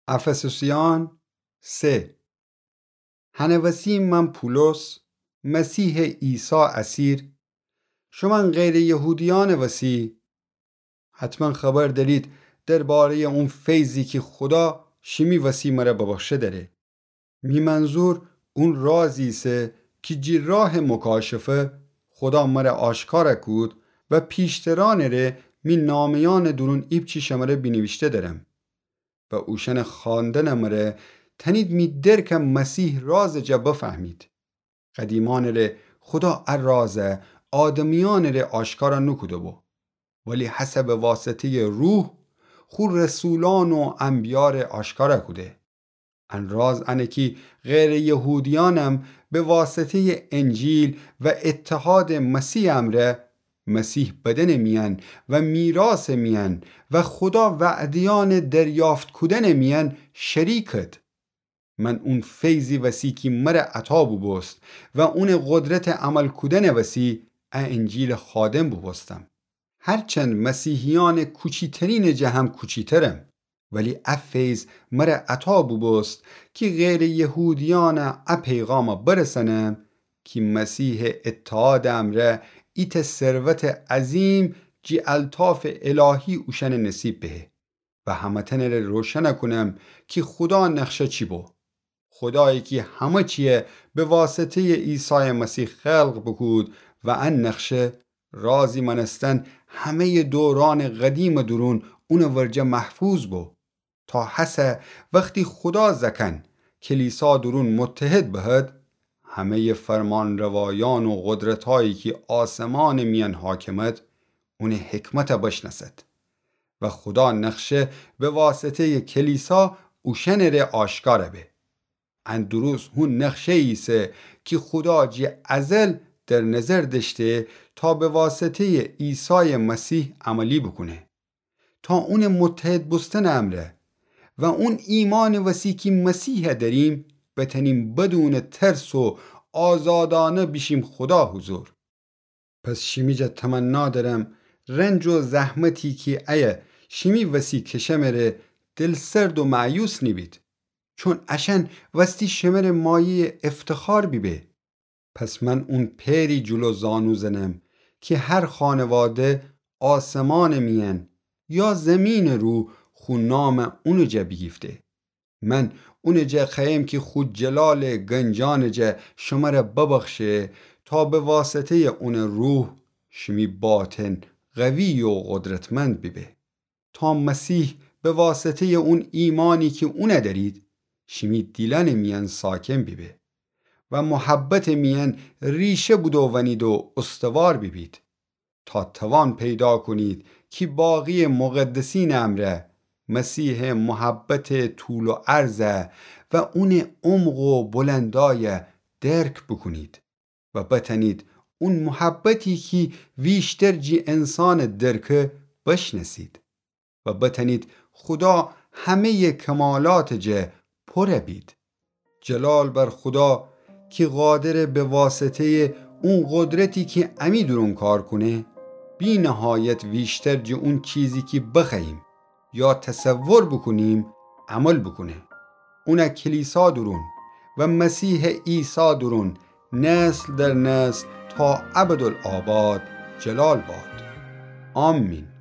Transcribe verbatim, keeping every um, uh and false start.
افسوسیان سه. هنه وسی من پولس، مسیحٚ عیسی اسیر، شومأن غیرٚ یهودیأنٚ وسی، حتماً خبر دأرید درباره‌یٚ اون فیضی کی خودا شیمی وسی مره ببخشه دأره. می منظور اون رازی ایسه کی جی راهٚ مکاشفه خودا مره آشکار کود و پیشترأنٚ ره می نامه‌یأنٚ دورون ایپچی شمره بینیویشته دأرم. و اوشأنٚ خواندنٚ مره تأنید می درکٚ مسیح رازٚ جا بفهمید. قدیمأنٚ ره خودا ا راز آدمیأنٚ ره آشکار نوکوده‌بو، ولی هسه به واسطه‌یٚ روح خو رسولأن و انبیأ ره آشکار کوده. ان راز انه کی غیرٚ یهودیأنم به واسطه‌یٚ انجیل و اتحادٚ مسیح امرأ، مسیح بدنٚ میأن و میراثٚ میأن و خودا وعده‌یأنٚ دریافت کودنٚ میأن شریکد. من اون فیضی وسی کی مره عطا بوبوست و اونٚ قدرتٚ عمل کودنٚ وسی ا انجیلٚ خادم بوبوستم. هرچند مسیحیأنٚ کوچیترینٚ جه هم کوچیترم، ولی ا فیض مره عطا بوبوست کی غیرٚ یهودیأن ا پیغام برسأنم کی مسیحٚ اتحادٚ امرأ ایتأ ثروتٚ عظیم جی الطافٚ الهی اوشأنٚ نصیب بهه. و همه‌تأنٚ ره روشن کونم کی خودا نقشه چی بو. خودایی کی همه چیه به واسطه‌یٚ عیسایٚ مسیح خلق بوکود و ان نقشه رازی مأنستن همه‌یٚ دورأنٚ قدیمٚ دورون اونٚ ورجه محفوظ بو. تا هسه وختی خودا زأکأن کلیسا دورون متحد بهد، همه‌یٚ فرمانروایأن و قدرتایی کی آسمانٚ میأن حاکمد، اونٚ حکمت بشنأسد. و خودا نقشه به واسطه‌یٚ کلیسا اوشأنٚ ره آشکار به. ان دروست هو نقشه‌یی ایسه کی خودا جی ازل در نظر دأشته تا به واسطه‌یٚ عیسایٚ مسیح عملی بوکونه. تا اونٚ متحد بوستنٚ امرأ و اون ایمانٚ وسی کی مسیح دأریم، بتأنیم بدونٚ ترس و آزادأنه بیشیم خودا حضور. پس شیمی جا تمنا دأرم رنج و زحمتی کی ایه شیمی وسی کشمه ره دلسرد و مأیوس نیبید، چون اشأن وستی شمه ره مایه‌یٚ افتخار بیبه. پس من اون پئری جلو زانو زنم کی هر خانواده آسمانٚ میأن یا زیمینٚ رو خو نام اونٚ جا بیگیفته. من اونٚ جا خوأیم کی خو جلالٚ گنجأنٚ جا شمره ببخشه تا به واسطه‌یٚ اونٚ روح شیمی باطن قوی و قدرتمند بیبه. تا مسیح به واسطه‌یٚ اون ایمانی کی اون دأرید، شیمی دیلأنٚ میأن ساکن بیبه و محبتٚ میأن ریشه بودوونید و استوار بیبید. تا توان پیدا کونید کی باقی‌یٚ مقدسینٚ امرأ مسیحٚ محبتٚ طول و عرض و اونٚ عمق و بلندای درک بوکونید. و بتأنید اون محبتی کی ویشتر جی انسانٚ درکه بشنأسید و بتأنید خودا همه‌یٚ کمالاتٚ جا پور بید. جلال بر خودا کی قادره به واسطه‌یٚ اون قدرتی کی امی دورون کار کونه، بی‌نهایت ویشتر جی اون چیزی کی بخوأییم یا تصور بوکونیم، عمل بوکونه. اون کلیسا دورون و مسیحٚ عیسی دورون نسل در نسل تا ابدالآباد جلال باد. آمین.